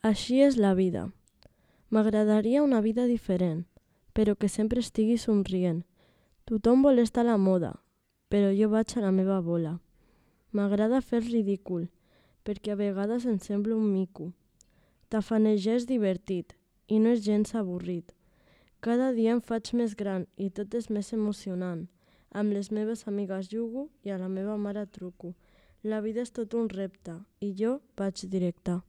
Així és la vida. M'agradaria una vida diferent, però que sempre estigui somrient. Tothom vol estar a la moda, però jo vaig a la meva bola. M'agrada fer el ridícul, perquè a vegades em sembla un mico. Tafanejar és divertit i no és gens avorrit. Cada dia em faig més gran i tot és més emocionant. Amb les meves amigues jugo i a la meva mare truco. La vida és tot un repte i jo vaig directe.